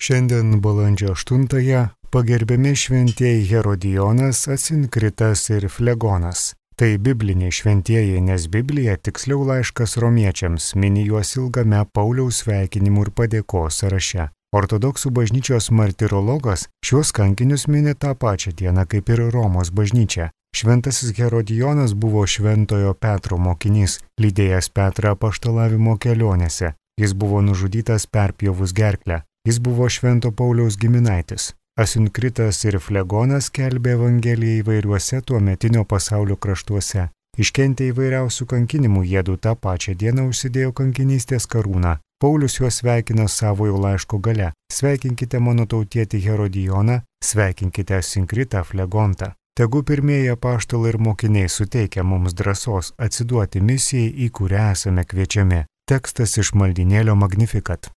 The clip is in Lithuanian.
Šiandien balandžio 8-ąją pagerbiami šventieji Herodijonas, Asinkritas ir Flegonas. Tai bibliniai šventieji, nes Biblija, tiksliau laiškas romiečiams, mini juos ilgame Pauliaus sveikinimų ir padėkos sąraše. Ortodoksų bažnyčios martirologas šiuos kankinius mini tą pačią dieną kaip ir Romos bažnyčia. Šventasis Herodijonas buvo šventojo Petro mokinys, lydėjęs Petrą apaštalavimo kelionėse. Jis buvo nužudytas perpjovus gerklę. Jis buvo švento Pauliaus giminaitis. Asinkritas ir Flegonas skelbė Evangeliją įvairiuose tuometinio pasaulio kraštuose. Iškentę įvairiausių kankinimų, jiedu tą pačią dieną užsidėjo kankinystės karūną. Paulius juos sveikina savojo laiško gale. Sveikinkite mano tautietį Herodijoną, sveikinkite Asinkritą, Flegontą. Tegu pirmieji apaštalai ir mokiniai suteikia mums drąsos atsiduoti misijai, į kurią esame kviečiami. Tekstas iš maldynėlio Magnificat.